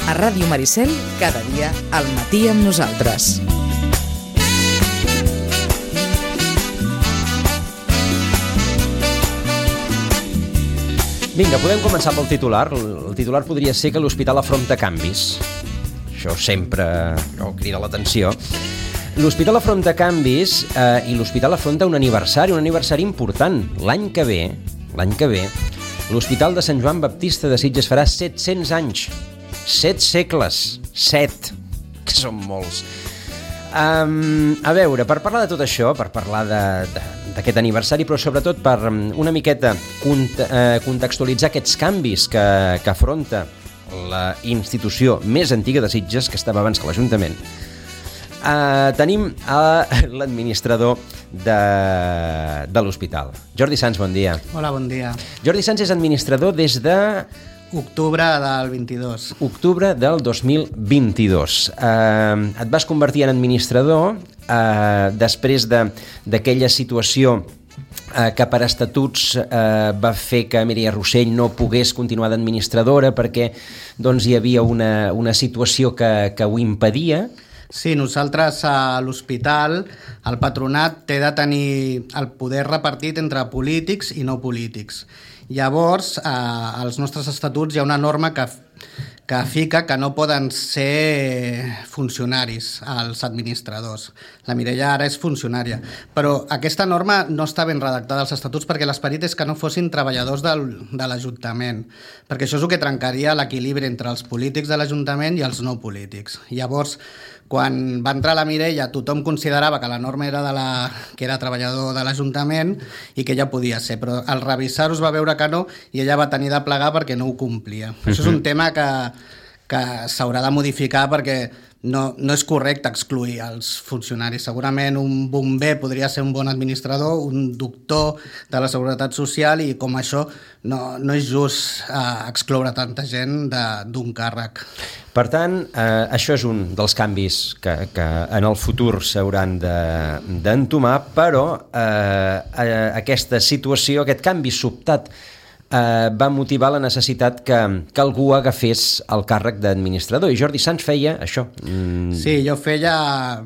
A Ràdio Maricel, cada dia al matí amb nosaltres. Vinga, podem començar pel titular. El titular podria ser que l'hospital afronta canvis. Això sempre crida l'atenció. L'hospital afronta canvis i l'hospital afronta un aniversari important. L'any que ve, l'Hospital de Sant Joan Baptista de Sitges farà 700 anys. 7 segles. 7, que són molts. A veure, per parlar de tot això, per parlar d'aquest aniversari, però sobretot per una miqueta contextualitzar aquests canvis que afronta la institució més antiga de Sitges, que estava abans que l'Ajuntament, tenim l'administrador de l'hospital. Jordi Sans, bon dia. Hola, bon dia. Jordi Sans és administrador des de... Octubre del 22. Octubre del 2022. Et vas convertir en administrador després d'aquella situació que per estatuts va fer que Mireia Rossell no pogués continuar d'administradora perquè hi havia una situació que ho impedia. Sí, nosaltres a l'hospital, el patronat té de tenir el poder repartit entre polítics i no polítics. Llavors, als nostres estatuts hi ha una norma que fica que no poden ser funcionaris els administradors. La Mireia ara és funcionària, però aquesta norma no està ben redactada als estatuts perquè l'esperit és que no fossin treballadors de l'Ajuntament, perquè això és el que trencaria l'equilibri entre els polítics de l'Ajuntament i els no polítics. Llavors, quan va entrar la Mireia, tothom considerava que la norma era que era treballador de l'Ajuntament i que ella podia ser, però al revisar-ho es va veure que no i ella va tenir de plegar perquè no ho complia. Això és un tema que s'haurà de modificar perquè no és correcte excloir els funcionaris. Segurament un bomber podria ser un bon administrador, un doctor de la Seguretat Social, i com això no és just excloure tanta gent d'un càrrec. Per tant, això és un dels canvis que en el futur s'hauran d'entomar, però aquesta situació, aquest canvi sobtat, va motivar la necessitat que algú agafés el càrrec d'administrador. I Jordi Sans feia això. Sí, jo feia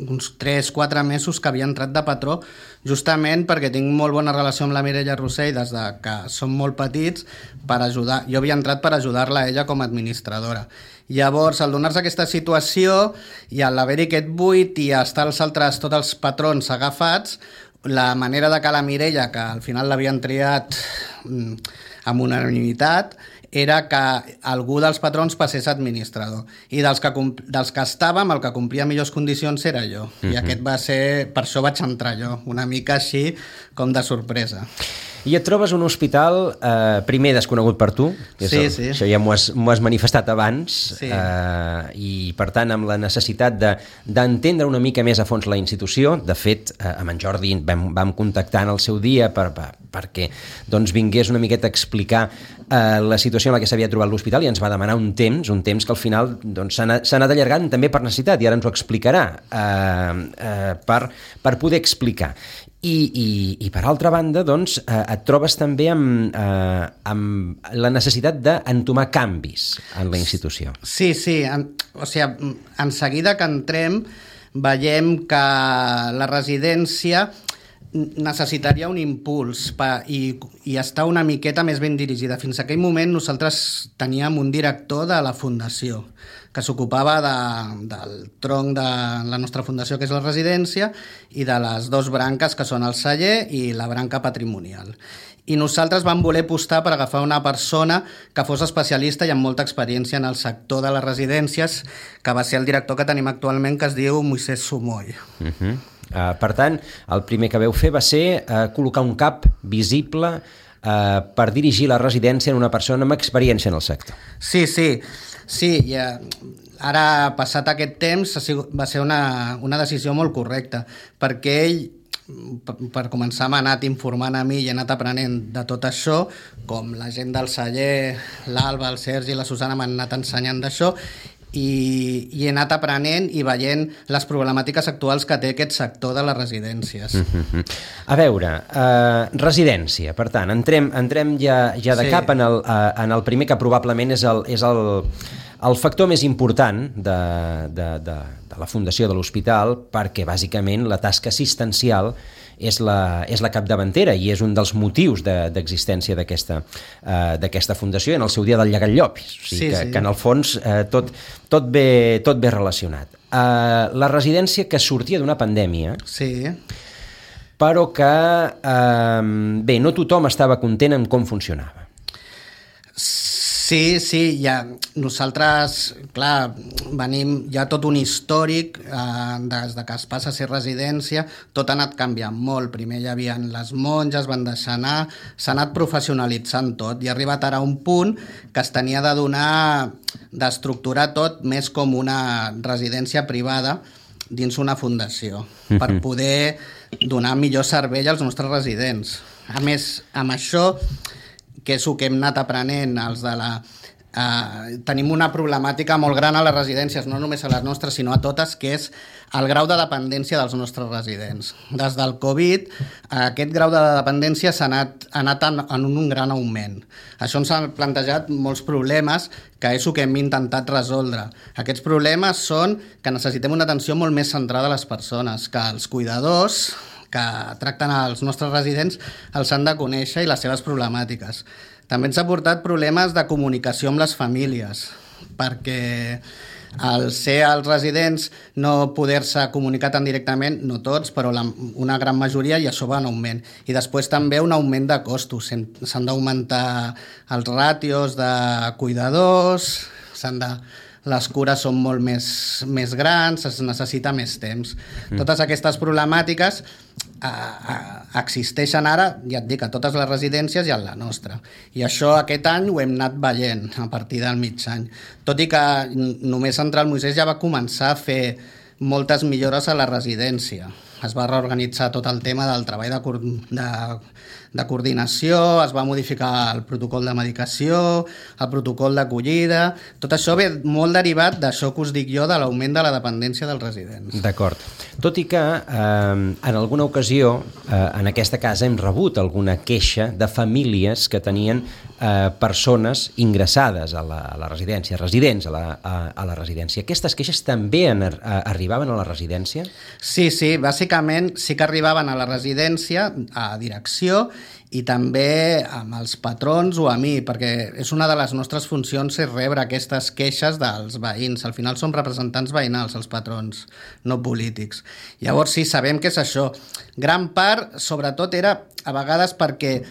uns 3-4 mesos que havia entrat de patró, justament perquè tinc molt bona relació amb la Mireia Rossell des que som molt petits, per ajudar. Jo havia entrat per ajudar-la a ella com a administradora. Llavors, al donar-se aquesta situació i a l'haver-hi aquest buit i estar tots els patrons agafats, la manera de que la Mireia, que al final l'havien triat amb unanimitat, era que algú dels patrons passés administrador. I dels que estàvem, el que complia millors condicions era jo. I aquest va ser... Per això vaig entrar jo, una mica així com de sorpresa. I et trobes un hospital primer desconegut per tu, sí. Això ja m'ho has manifestat abans, sí. I per tant amb la necessitat d'entendre una mica més a fons la institució. De fet, amb en Jordi vam contactar en el seu dia perquè vingués una miqueta a explicar la situació en la que s'havia trobat l'hospital, i ens va demanar un temps que al final s'ha anat allargant també per necessitat, i ara ens ho explicarà per poder explicar. I per altra banda, et trobes també amb la necessitat d'entomar canvis en la institució. Sí. O sigui, en seguida que entrem veiem que la residència necessitaria un impuls i estar una miqueta més ben dirigida. Fins a aquell moment nosaltres teníem un director de la fundació que s'ocupava del tronc de la nostra fundació, que és la residència, i de les dues branques, que són el celler i la branca patrimonial. I nosaltres vam voler apostar per agafar una persona que fos especialista i amb molta experiència en el sector de les residències, que va ser el director que tenim actualment, que es diu Moisés Sumoy. Per tant, el primer que vau fer va ser col·locar un cap visible per dirigir la residència en una persona amb experiència en el sector. Sí, i ara, passat aquest temps, va ser una decisió molt correcta, perquè ell, per començar, m'ha anat informant a mi i he anat aprenent de tot això, com la gent del celler, l'Alba, el Sergi i la Susana m'han anat ensenyant d'això, i he anat aprenent i veient les problemàtiques actuals que té aquest sector de les residències. A veure, residència, per tant, entrem ja de cap en el primer, que probablement és el factor més important de la fundació de l'hospital, perquè bàsicament la tasca assistencial és la capdavantera i és un dels motius d'existència d'aquesta fundació, en el seu dia del llegat llop, o sigui que en el fons tot ve relacionat. La residència que sortia d'una pandèmia, però que no tothom estava content amb com funcionava. Sí, ja nosaltres, clar, hi ha tot un històric des que es passa a ser residència, tot ha anat canviant molt. Primer hi havia les monges, van deixar anar, s'ha anat professionalitzant tot i ha arribat ara a un punt que es tenia d'estructurar tot més com una residència privada dins una fundació, per poder donar millor servei als nostres residents. A més, amb això, que és el que hem anat aprenent, tenim una problemàtica molt gran a les residències, no només a les nostres, sinó a totes, que és el grau de dependència dels nostres residents. Des del Covid, aquest grau de dependència s'ha anat en un gran augment. Això ens ha plantejat molts problemes, que és el que hem intentat resoldre. Aquests problemes són que necessitem una atenció molt més centrada a les persones, que els cuidadors que tracten els nostres residents els han de conèixer i les seves problemàtiques. També ens ha portat problemes de comunicació amb les famílies, perquè al ser els residents no poder-se comunicar tan directament, no tots, però una gran majoria, i això va en augment. I després també un augment de costos. S'han d'augmentar els ràtios de cuidadors, les cures són molt més grans, es necessita més temps. Totes aquestes problemàtiques existeixen ara, ja et dic, a totes les residències i a la nostra. I això aquest any ho hem anat veient a partir del mig any. Tot i que només entrar al Moisès ja va començar a fer moltes millores a la residència. Es va reorganitzar tot el tema del treball de coordinació, es va modificar el protocol de medicació, el protocol d'acollida. Tot això ve molt derivat d'això que us dic jo, de l'augment de la dependència dels residents. D'acord. Tot i que en alguna ocasió en aquesta casa hem rebut alguna queixa de famílies que tenien persones ingressades a la residència, residents a la residència. Aquestes queixes també arribaven a la residència? Sí, bàsicament sí que arribaven a la residència, a direcció, i també amb els patrons o a mi, perquè és una de les nostres funcions és rebre aquestes queixes dels veïns. Al final som representants veïnals, els patrons, no polítics. Llavors sí, sabem que és això. Gran part, sobretot, era a vegades perquè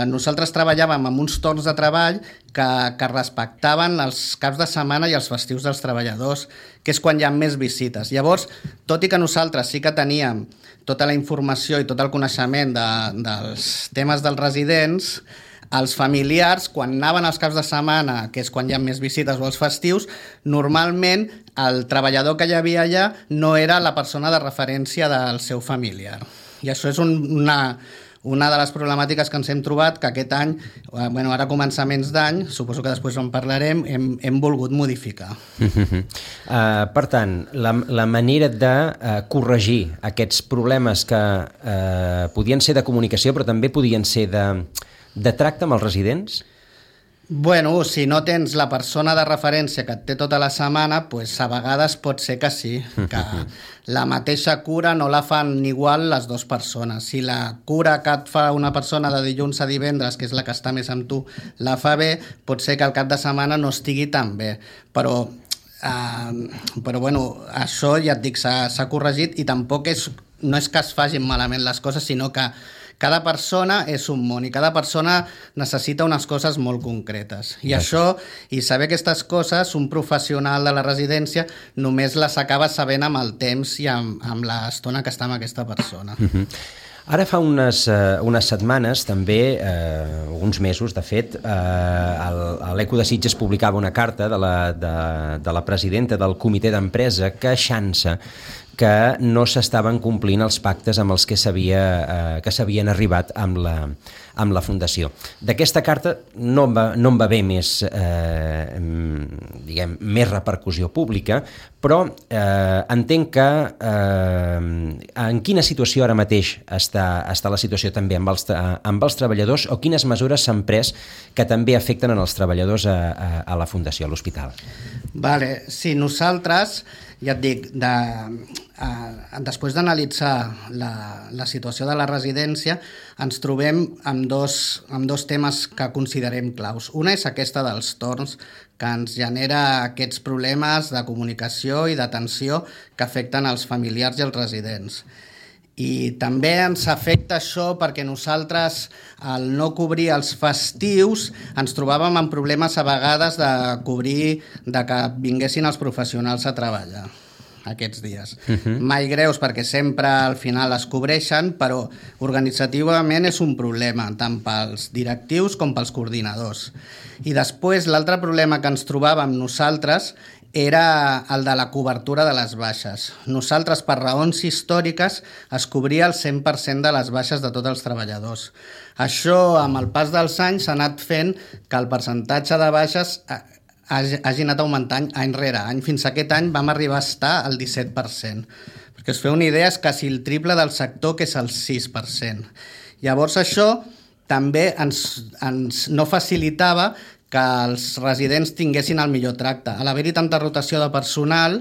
nosaltres treballàvem amb uns torns de treball que respectaven els caps de setmana i els festius dels treballadors, que és quan hi ha més visites. Llavors, tot i que nosaltres sí que teníem tota la informació i tot el coneixement dels temes dels residents, els familiars, quan anaven els caps de setmana, que és quan hi ha més visites o els festius, normalment el treballador que hi havia allà no era la persona de referència del seu familiar. I això és una de les problemàtiques que ens hem trobat, que aquest any, ara a començaments d'any, suposo que després en parlarem, hem volgut modificar. Per tant, la manera de corregir aquests problemes que podien ser de comunicació, però també podien ser de tracte amb els residents? Bueno, si no tens la persona de referència que et té tota la setmana, pues a vegades pot ser que sí, que la mateixa cura no la fan igual les dues persones. Si la cura que et fa una persona de dilluns a divendres, que és la que està més amb tu, la fa bé, pot ser que el cap de setmana no estigui tan bé. Però això ja et dic, s'ha corregit i tampoc no és que es facin malament les coses, sinó que cada persona és un món i cada persona necessita unes coses molt concretes. I això, i saber aquestes coses, un professional de la residència només les acaba sabent amb el temps i amb l'estona que està amb aquesta persona. Ara fa unes setmanes, també, uns mesos, de fet, l'Eco de Sitges publicava una carta de la presidenta del comitè d'empresa queixant-se que no s'estaven complint els pactes amb els que s'havien arribat amb la Fundació. D'aquesta carta no en va haver més repercussió pública, però entenc que en quina situació ara mateix està la situació també amb els treballadors, o quines mesures s'han pres que també afecten en els treballadors a la Fundació, a l'hospital? Vale, sí, nosaltres, ja et dic, després d'analitzar la situació de la residència, ens trobem amb dos temes que considerem claus. Una és aquesta dels torns, que ens genera aquests problemes de comunicació i d'atenció que afecten els familiars i els residents. I també ens afecta això perquè nosaltres, al no cobrir els festius, ens trobàvem amb problemes a vegades de que vinguessin els professionals a treballar aquests dies. Mai greus, perquè sempre al final es cobreixen, però organitzativament és un problema, tant pels directius com pels coordinadors. I després, l'altre problema que ens trobàvem nosaltres era el de la cobertura de les baixes. Nosaltres, per raons històriques, es cobria el 100% de les baixes de tots els treballadors. Això, amb el pas dels anys, s'ha anat fent que el percentatge de baixes hagi anat augmentant any rere any. Fins a aquest any vam arribar a estar al 17%. Perquè us feu una idea, és quasi el triple del sector, que és el 6%. Llavors això també ens no facilitava que els residents tinguessin el millor tracte. A l'haver-hi tanta rotació de personal,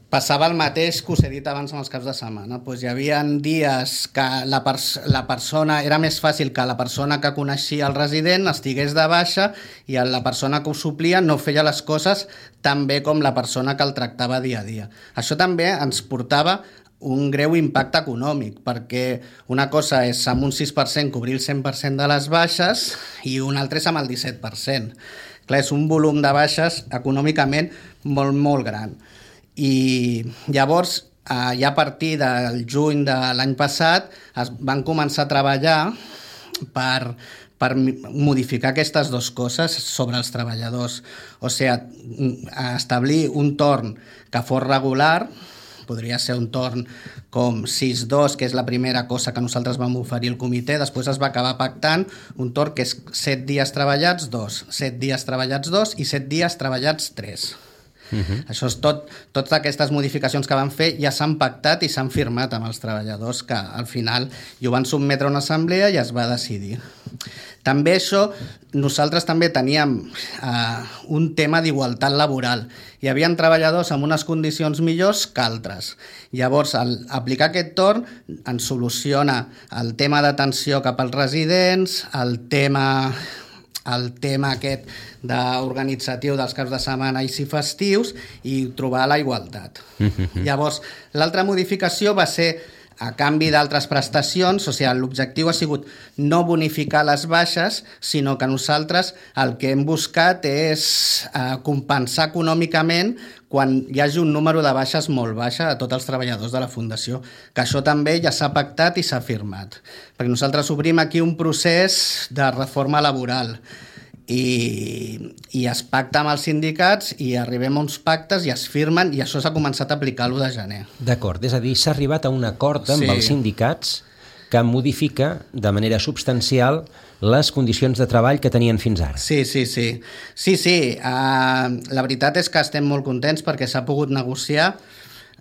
passava el mateix que us he dit abans en els caps de setmana. Hi havia dies que la persona, era més fàcil que la persona que coneixia el resident estigués de baixa i la persona que ho suplia no feia les coses tan bé com la persona que el tractava dia a dia. Això també ens portava un greu impacte econòmic, perquè una cosa és amb un 6% cobrir el 100% de les baixes i una altra és amb el 17%. Clar, és un volum de baixes econòmicament molt, molt gran. I llavors, ja a partir del juny de l'any passat, van començar a treballar per modificar aquestes dues coses sobre els treballadors. O sigui, establir un torn que fos regular, podria ser un torn com 6-2, que és la primera cosa que nosaltres vam oferir al comitè. Després es va acabar pactant un torn que és 7 dies treballats 2, 7 dies treballats 2 i 7 dies treballats 3. Això és totes aquestes modificacions que van fer ja s'han pactat i s'han firmat amb els treballadors, que al final hi ho van sotmetre a una assemblea i es va decidir. També això, nosaltres també teníem un tema d'igualtat laboral. Hi havia treballadors amb unes condicions millors que altres. Llavors, al aplicar aquest torn, ens soluciona el tema d'atenció cap als residents, el tema aquest d'organitzatiu dels caps de setmana i festius, i trobar la igualtat. Llavors, l'altra modificació va ser a canvi d'altres prestacions. O sigui, l'objectiu ha sigut no bonificar les baixes, sinó que nosaltres el que hem buscat és compensar econòmicament quan hi hagi un número de baixes molt baixa a tots els treballadors de la Fundació, que això també ja s'ha pactat i s'ha firmat. Perquè nosaltres obrim aquí un procés de reforma laboral i es pacta amb els sindicats i arribem a uns pactes i es firmen, i això s'ha començat a aplicar l'1 de gener. D'acord, és a dir, s'ha arribat a un acord amb els sindicats que modifica de manera substancial les condicions de treball que tenien fins ara. Sí. La veritat és que estem molt contents perquè s'ha pogut negociar.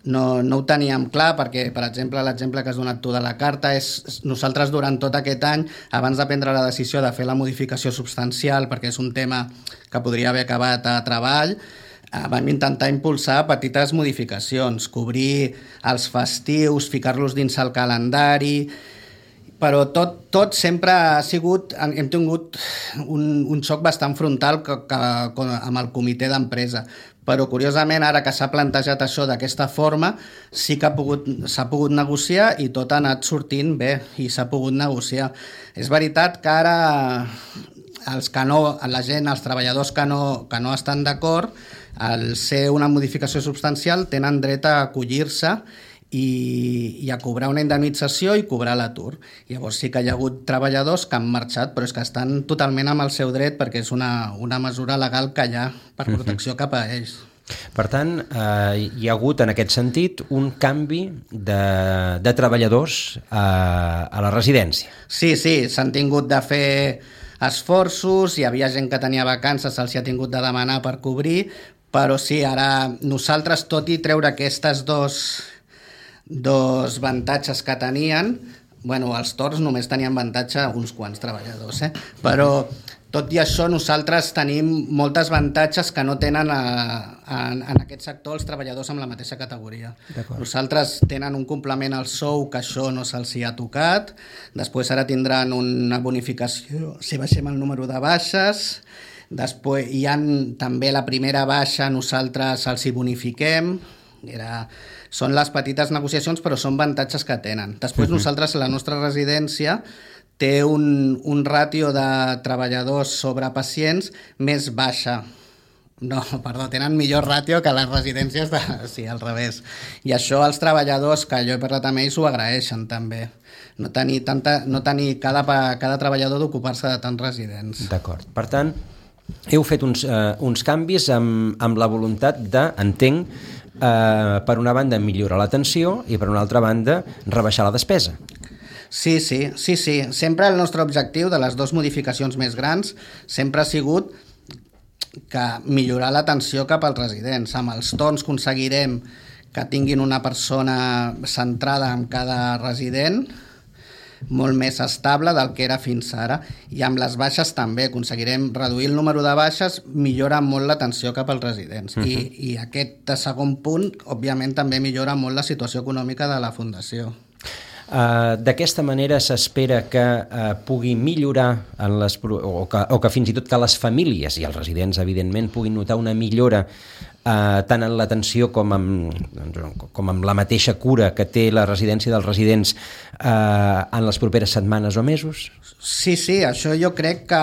No ho teníem clar perquè, per exemple, l'exemple que has donat tu de la carta és nosaltres durant tot aquest any, abans de prendre la decisió de fer la modificació substancial, perquè és un tema que podria haver acabat a treball, vam intentar impulsar petites modificacions, cobrir els festius, ficar-los dins el calendari, però tot sempre ha sigut... Hem tingut un xoc bastant frontal amb el comitè d'empresa, però curiosament ara que s'ha plantejat això d'aquesta forma sí que s'ha pogut negociar i tot ha anat sortint bé i s'ha pogut negociar. És veritat que ara la gent, els treballadors que no estan d'acord, al ser una modificació substancial tenen dret a acollir-se i a cobrar una indemnització i cobrar l'atur. Llavors sí que hi ha hagut treballadors que han marxat, però és que estan totalment amb el seu dret perquè és una mesura legal que hi ha per protecció cap a ells. Per tant, hi ha hagut, en aquest sentit, un canvi de treballadors a la residència. Sí, s'han tingut de fer esforços, hi havia gent que tenia vacances, se'ls ha tingut de demanar per cobrir, però sí, ara nosaltres, tot i treure aquestes dos avantatges que tenien, bueno, els torns només tenien avantatge uns quants treballadors, però tot i això nosaltres tenim moltes avantatges que no tenen en aquest sector els treballadors amb la mateixa categoria. Nosaltres tenen un complement al sou que això no se'ls ha tocat, després ara tindran una bonificació si baixem el número de baixes, després hi ha també la primera baixa, nosaltres els hi bonifiquem, són les petites negociacions però són avantatges que tenen. Després nosaltres, la nostra residència té un ràtio de treballadors sobre pacients més baixa. No, perdó, tenen millor ràtio que les residències sí, al revés. I això els treballadors, que jo he parlat amb ells, ho agraeixen també. No tenir cada treballador d'ocupar-se de tants residents. D'acord. Per tant, heu fet uns canvis amb la voluntat de, entenc, per una banda millorar l'atenció i per una altra banda rebaixar la despesa. Sí. Sempre el nostre objectiu de les dues modificacions més grans sempre ha sigut que millorar l'atenció cap als residents. Amb els torns aconseguirem que tinguin una persona centrada en cada resident, molt més estable del que era fins ara, i amb les baixes també aconseguirem reduir el número de baixes, millora molt l'atenció cap als residents. I aquest segon punt, òbviament, també millora molt la situació econòmica de la Fundació. D'aquesta manera s'espera que pugui millorar o que fins i tot que les famílies i els residents, evidentment, puguin notar una millora tant en l'atenció com amb la mateixa cura que té la residència dels residents en les properes setmanes o mesos? Sí, això jo crec que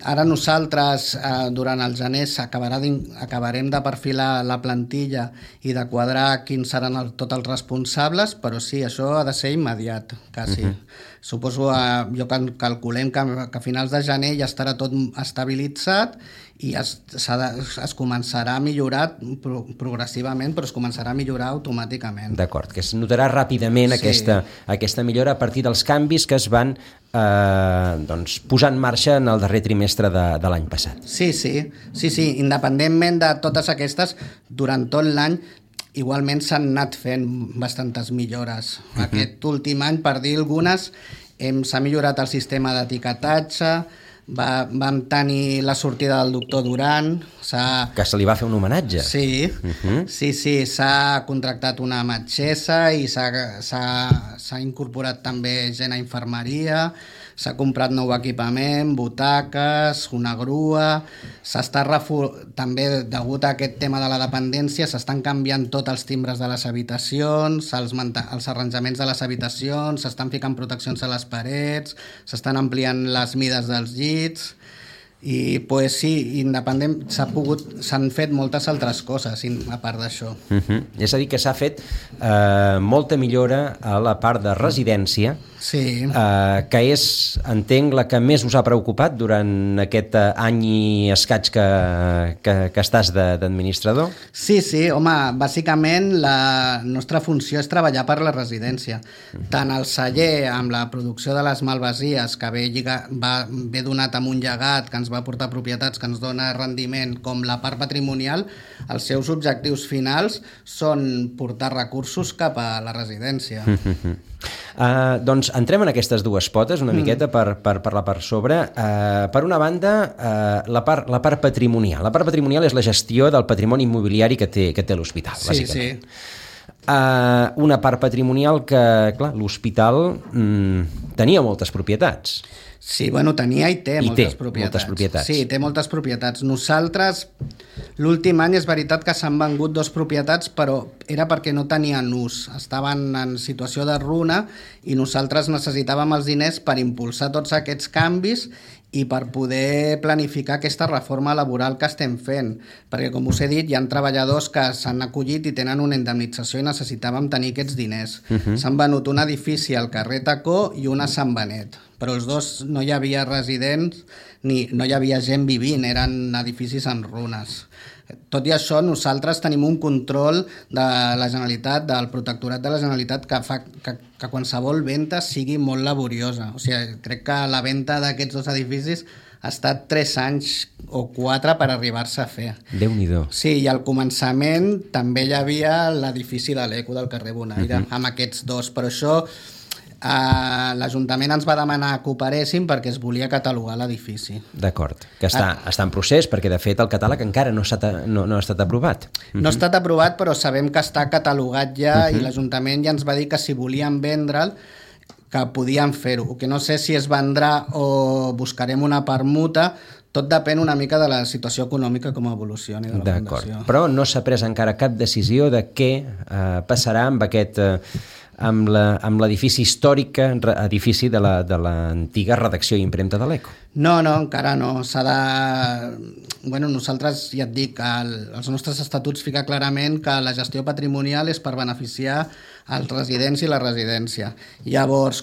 ara nosaltres durant el gener acabarem de perfilar la plantilla i de quadrar quins seran tots els responsables, però sí, això ha de ser immediat, quasi. Suposo, calculem que a finals de gener ja estarà tot estabilitzat i es començarà a millorar progressivament, però es començarà a millorar automàticament. D'acord, que es notarà ràpidament aquesta millora a partir dels canvis que es van posar en marxa en el darrer trimestre de l'any passat. Sí, independentment de totes aquestes, durant tot l'any igualment s'han anat fent bastantes millores. Aquest últim any, per dir algunes, s'ha millorat el sistema d'etiquetatge, vam tenir la sortida del doctor Duran. Que se li va fer un homenatge. Sí, s'ha contractat una metgessa i s'ha incorporat també gent a infermeria, s'ha comprat nou equipament, butaques, una grua, també degut a aquest tema de la dependència s'estan canviant tots els timbres de les habitacions, els arranjaments de les habitacions, s'estan ficant proteccions a les parets, s'estan ampliant les mides dels llits i pues sí, independent s'han fet moltes altres coses a part d'això. És a dir, que s'ha fet molta millora a la part de residència, que és, entenc, la que més us ha preocupat durant aquest any i escaig que estàs d'administrador? Sí, home, bàsicament la nostra funció és treballar per la residència. Tant el celler amb la producció de les malvasies, que ve donat amb un llegat que ens va portar propietats, que ens dona rendiment, com la part patrimonial, els seus objectius finals són portar recursos cap a la residència. Doncs entrem en aquestes dues potes una miqueta per la part sobre. Per una banda, la part patrimonial. La part patrimonial és la gestió del patrimoni immobiliari que té l'hospital, bàsicament. Una part patrimonial que, clar, l'hospital tenia moltes propietats. Sí, tenia i té moltes propietats. Sí, té moltes propietats. Nosaltres, l'últim any és veritat que s'han vengut 2 propietats, però era perquè no tenien ús. Estaven en situació de runa i nosaltres necessitàvem els diners per impulsar tots aquests canvis i per poder planificar aquesta reforma laboral que estem fent. Perquè, com us he dit, hi ha treballadors que s'han acollit i tenen una indemnització i necessitàvem tenir aquests diners. S'han venut un edifici al carrer Tacó i un a Sant Benet. però els dos no hi havia residents ni no hi havia gent vivint, eren edificis en runes. Tot i això, nosaltres tenim un control de la Generalitat, del Protectorat de la Generalitat, que fa que qualsevol venda sigui molt laboriosa. O sigui, crec que la venda d'aquests dos edificis ha estat 3 anys o 4 per arribar-se a fer. Déu-n'hi-do. Sí, i al començament també hi havia l'edifici de l'Eco del carrer Bonaire, amb aquests dos, però això l'Ajuntament ens va demanar que operéssim perquè es volia catalogar l'edifici. D'acord, que està en procés, perquè de fet el catàleg encara no ha estat aprovat. No ha estat aprovat, però sabem que està catalogat ja i l'Ajuntament ja ens va dir que si volien vendre'l que podien fer-ho, que no sé si es vendrà o buscarem una permuta, tot depèn una mica de la situació econòmica com evolucioni de la Fundació. Però no s'ha pres encara cap decisió de què passarà amb aquest... amb l'edifici històric, edifici de l'antiga redacció i impremta de l'Eco. No, encara no. S'ha de... Bueno, nosaltres, ja et dic, els nostres estatuts fica clarament que la gestió patrimonial és per beneficiar els residents i la residència. Llavors,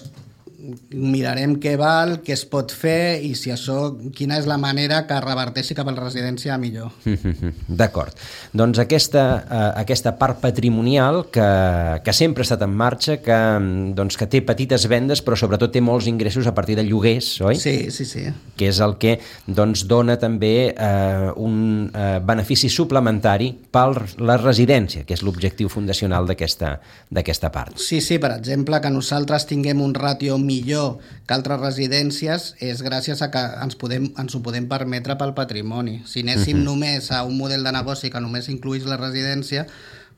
mirarem què val, què es pot fer i si això, quina és la manera que reverteixi cap a la residència millor. D'acord. Doncs aquesta part patrimonial que sempre ha estat en marxa, que té petites vendes però sobretot té molts ingressos a partir de lloguers, oi? Sí. Que és el que dona també un benefici suplementari per la residència, que és l'objectiu fundacional d'aquesta part. Sí, per exemple, que nosaltres tinguem un ràtio millor que altres residències és gràcies a que ens ho podem permetre pel patrimoni. Si anéssim només a un model de negoci que només incluís la residència,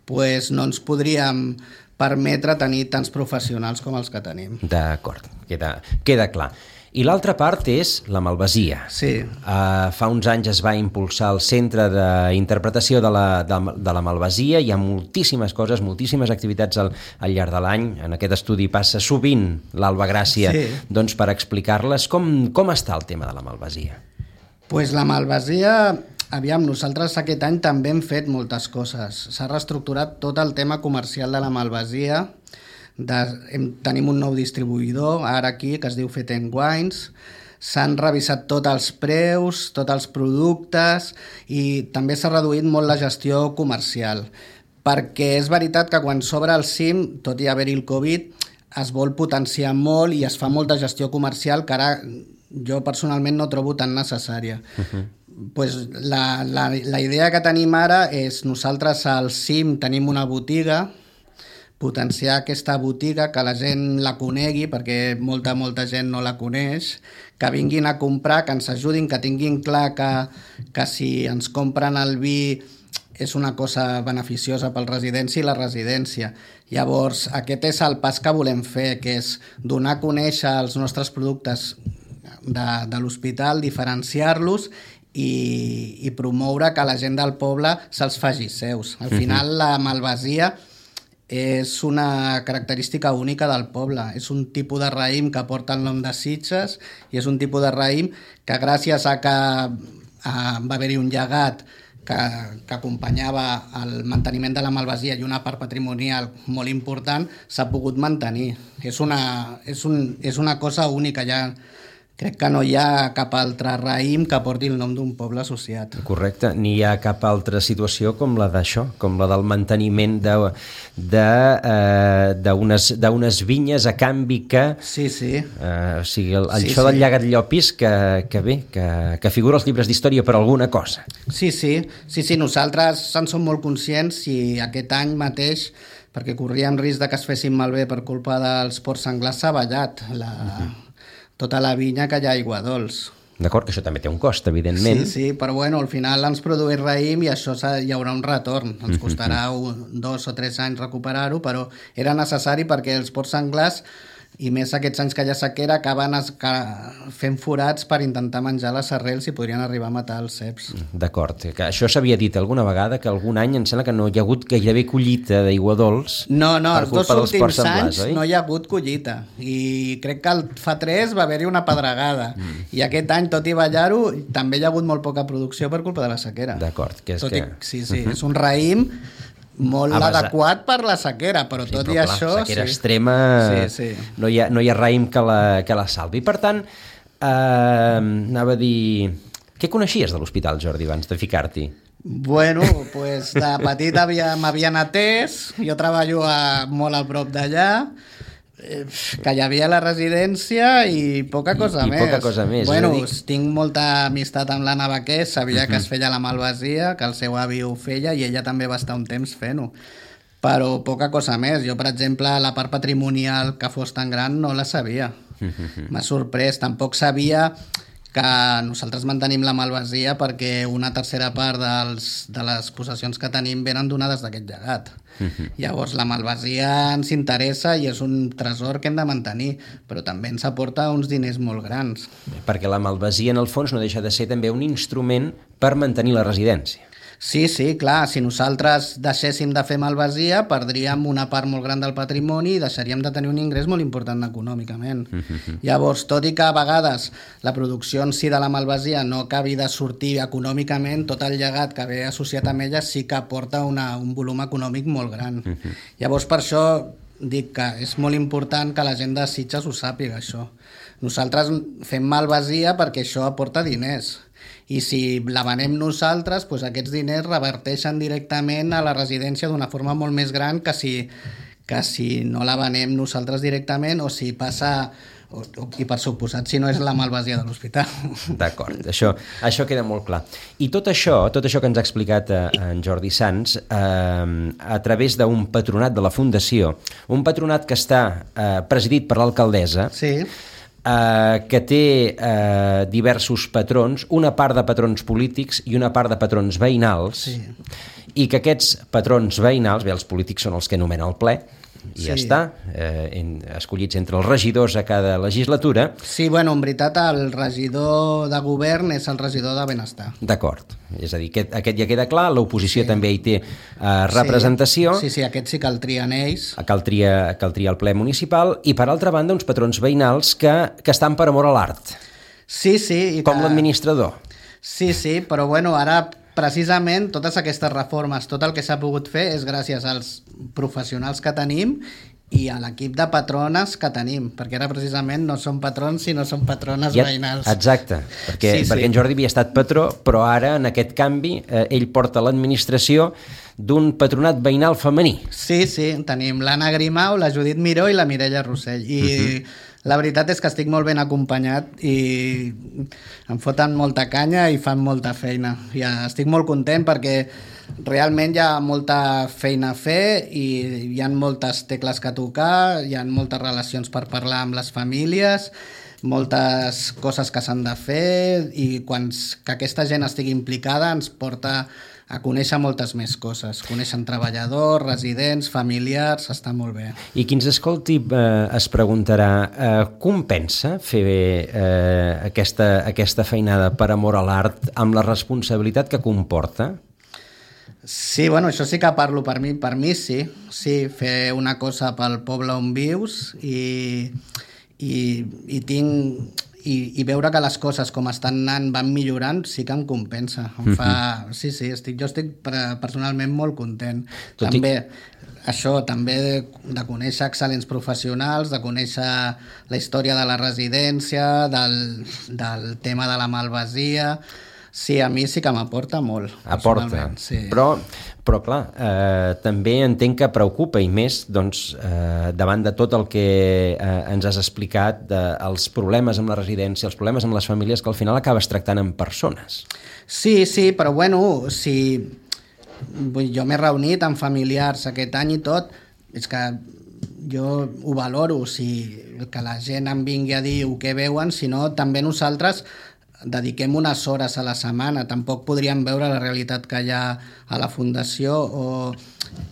doncs no ens podríem permetre tenir tants professionals com els que tenim. D'acord, queda clar. I l'altra part és la Malvasia. Sí. Fa uns anys es va impulsar el Centre d'Interpretació de la Malvasia. Hi ha moltíssimes coses, moltíssimes activitats al llarg de l'any. En aquest estudi passa sovint l'Alba Gràcia doncs, per explicar-les. Com està el tema de la Malvasia? Pues la Malvasia, aviam, nosaltres aquest any també hem fet moltes coses. S'ha reestructurat tot el tema comercial de la Malvasia. Tenim un nou distribuïdor ara aquí que es diu Feten Wines, s'han revisat tots els preus, tots els productes i també s'ha reduït molt la gestió comercial perquè és veritat que quan s'obre el CIM, tot i haver-hi el Covid, es vol potenciar molt i es fa molta gestió comercial que ara jo personalment no trobo tan necessària. Pues la idea que tenim ara és nosaltres al CIM tenim una botiga, potenciar aquesta botiga, que la gent la conegui, perquè molta gent no la coneix, que vinguin a comprar, que ens ajudin, que tinguin clar que si ens compren el vi és una cosa beneficiosa pel residència i la residència. Llavors, aquest és el pas que volem fer, que és donar a conèixer els nostres productes de l'hospital, diferenciar-los i promoure que la gent del poble se'ls faci seus. Al final, la Malvasia és una característica única del poble. És un tipus de raïm que porta el nom de Sitges i és un tipus de raïm que gràcies a que va haver-hi un llegat que acompanyava el manteniment de la Malvasia i una part patrimonial molt important, s'ha pogut mantenir. És una cosa única. Crec que no hi ha cap altre raïm que porti el nom d'un poble associat. Correcte, ni hi ha cap altra situació com la d'això, com la del manteniment d'unes vinyes a canvi que... Sí. O sigui, això del llegat Llopis que figura als llibres d'història per alguna cosa. Sí, nosaltres en som molt conscients i aquest any mateix, perquè corríem risc de que es fessin malbé per culpa dels porcs senglars, s'ha ballat tota la vinya que hi ha aigua dolç. D'acord, que això també té un cost, evidentment. Sí, però al final ens produeix raïm i això hi haurà un retorn. Ens costarà 2 o 3 anys recuperar-ho, però era necessari perquè els porcs senglars, i més aquests anys que hi ha sequera, acaben fent forats per intentar menjar les arrels i podrien arribar a matar els ceps. D'acord, que això s'havia dit alguna vegada, que algun any em sembla que no hi ha hagut gairebé collita d'aigua dolç. No, els 2 últims anys no hi ha hagut collita i crec que fa 3 va haver-hi una pedregada i aquest any, tot i ballar-ho, també hi ha hagut molt poca producció per culpa de la sequera. D'acord. Sí, és un raïm molt adequat per la sequera, però tot i això... Sequera extrema, no hi ha raïm que la salvi. Per tant, anava a dir... Què coneixies de l'hospital, Jordi, abans de ficar-t'hi? Bueno, pues de petit m'havien atès, jo treballo molt a prop d'allà, que hi havia la residència i poca cosa més. Poca cosa més. Bueno, tinc molta amistat amb l'Anna Baquer, sabia que es feia la malvasia, que el seu avi ho feia i ella també va estar un temps fent-ho. Però poca cosa més. Jo, per exemple, la part patrimonial que fos tan gran no la sabia. M'ha sorprès. Tampoc sabia que nosaltres mantenim la malvasia perquè una tercera part de les possessions que tenim venen donades d'aquest llegat. Llavors la malvasia ens interessa i és un tresor que hem de mantenir, però també ens aporta uns diners molt grans. Perquè la malvasia en el fons no deixa de ser també un instrument per mantenir la residència. Sí, clar, si nosaltres deixéssim de fer malvasia, perdríem una part molt gran del patrimoni i deixaríem de tenir un ingrés molt important econòmicament. Llavors, tot i que a vegades la producció en si de la malvasia no acabi de sortir econòmicament, tot el llegat que ve associat amb ella sí que aporta un volum econòmic molt gran. Llavors, per això dic que és molt important que la gent de Sitges ho sàpiga, això. Nosaltres fem malvasia perquè això aporta diners. I si la venem nosaltres, doncs aquests diners reverteixen directament a la residència d'una forma molt més gran que si no la venem nosaltres directament o si passa, i per suposat, si no és la malvasia de l'hospital. D'acord, això queda molt clar. I tot això que ens ha explicat en Jordi Sans, a través d'un patronat de la Fundació, un patronat que està presidit per l'alcaldessa, sí, que té diversos patrons, una part de patrons polítics i una part de patrons veïnals, i que aquests patrons veïnals, els polítics són els que nomena el ple, i ja està, escollits entre els regidors a cada legislatura. Sí, bueno, en veritat el regidor de govern és el regidor de benestar. D'acord, és a dir, aquest ja queda clar, l'oposició també hi té representació. Sí, aquest sí que el trien ells. Cal triar el ple municipal, i per altra banda uns patrons veïnals que estan per amor a l'art. Sí. Com l'administrador. Sí, però bueno, ara precisament totes aquestes reformes, tot el que s'ha pogut fer és gràcies als professionals que tenim i a l'equip de patrones que tenim, perquè ara precisament no són patrons sinó són patrones veïnals. Exacte, perquè en Jordi havia estat patró, però ara en aquest canvi ell porta l'administració d'un patronat veïnal femení. Sí, tenim l'Anna Grimau, la Judit Miró i la Mireia Rossell, i la veritat és que estic molt ben acompanyat i em foten molta canya i fan molta feina. Ja estic molt content perquè realment hi ha molta feina a fer i hi ha moltes tecles que tocar, hi ha moltes relacions per parlar amb les famílies, moltes coses que s'han de fer, i que aquesta gent estigui implicada ens porta a conèixer moltes més coses. Coneixen treballadors, residents, familiars, està molt bé. I qui ens escolti es preguntarà, compensa fer aquesta feinada per amor a l'art amb la responsabilitat que comporta? Sí, bueno, això sí que parlo per mi sí. Sí, fer una cosa pel poble on vius i veure que les coses com estan anant van millorant sí que em compensa. Jo estic personalment molt content. També de conèixer excel·lents professionals, de conèixer la història de la residència, del tema de la malvasia. Sí, a mi sí que m'aporta molt. Aporta, sí. Però clar, també entenc que preocupa, i més davant de tot el que ens has explicat, dels problemes amb la residència, els problemes amb les famílies, que al final acabes tractant amb persones. Sí, però bueno, jo m'he reunit amb familiars aquest any i tot, és que jo ho valoro, que la gent em vingui a dir el que veuen, sinó també nosaltres dediquem unes hores a la setmana, tampoc podríem veure la realitat que hi ha a la Fundació, o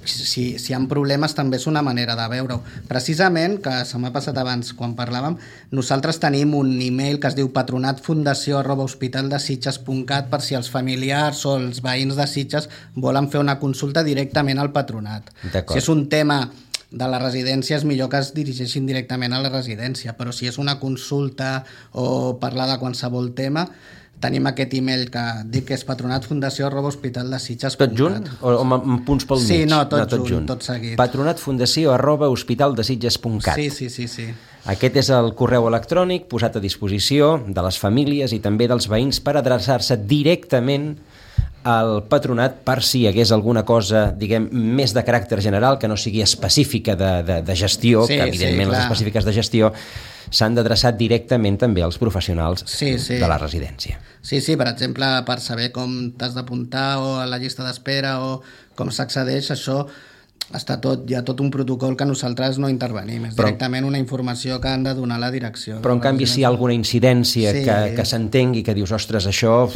si hi ha problemes també és una manera de veure-ho. Precisament, que se m'ha passat abans quan parlàvem, nosaltres tenim un email que es diu patronatfundació@hospitaldesitges.cat per si els familiars o els veïns de Sitges volen fer una consulta directament al patronat. Si és un tema de la residència és millor que es dirigeixin directament a la residència, però si és una consulta o parlar de qualsevol tema, tenim aquest email que dic que és patronatfundació@hospitaldesitges.cat. Tot junt? O amb punts pel mig? Sí, no, tot junt, tot seguit. patronatfundació@hospitaldesitges.cat. Sí. Aquest és el correu electrònic posat a disposició de les famílies i també dels veïns per adreçar-se directament al patronat per si hi hagués alguna cosa, diguem, més de caràcter general, que no sigui específica de gestió, que evidentment les específiques de gestió s'han d'adreçar directament també als professionals de la residència. Sí, per exemple, per saber com t'has d'apuntar o a la llista d'espera o com s'accedeix, això està tot, hi ha tot un protocol que nosaltres no intervenim, és directament una informació que han de donar la direcció. Però en canvi si hi ha alguna incidència que s'entengui, que dius, ostres, això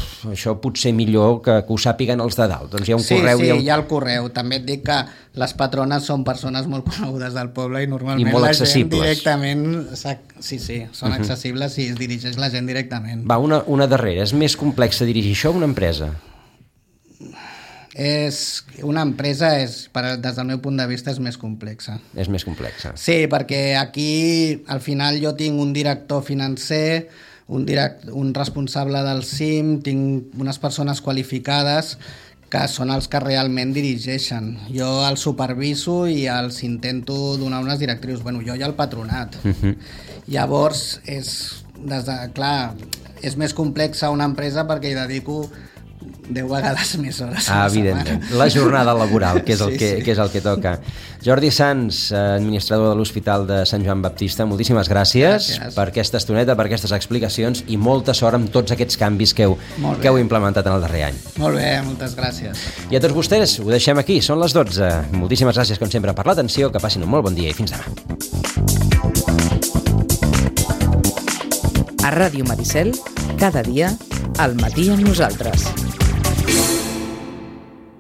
potser millor que ho sàpiguen els de dalt, doncs hi ha un correu... Sí, hi ha el correu. També et dic que les patrones són persones molt conegudes del poble i normalment molt accessibles. La gent directament... Sí, són accessibles i es dirigeix la gent directament. Va, una darrera. És més complex dirigir això o una empresa? Una empresa des del meu punt de vista és més complexa. És més complexa. Sí, perquè aquí al final jo tinc un director financer, un responsable del CIM, tinc unes persones qualificades que són els que realment dirigeixen. Jo els superviso i els intento donar unes directrius. Bueno, jo i el patronat. Llavors, és més complexa una empresa perquè hi dedico 10 vegades més hores. Evidentment. La jornada laboral, que és el que toca. Jordi Sans, administrador de l'Hospital de Sant Joan Baptista, moltíssimes gràcies per aquesta estoneta, per aquestes explicacions i molta sort amb tots aquests canvis que heu implementat en el darrer any. Molt bé, moltes gràcies. I a tots vostès, ho deixem aquí, són les 12. Moltíssimes gràcies, com sempre, per l'atenció, que passin un molt bon dia i fins demà. A Ràdio Maricel, cada dia, al matí amb nosaltres.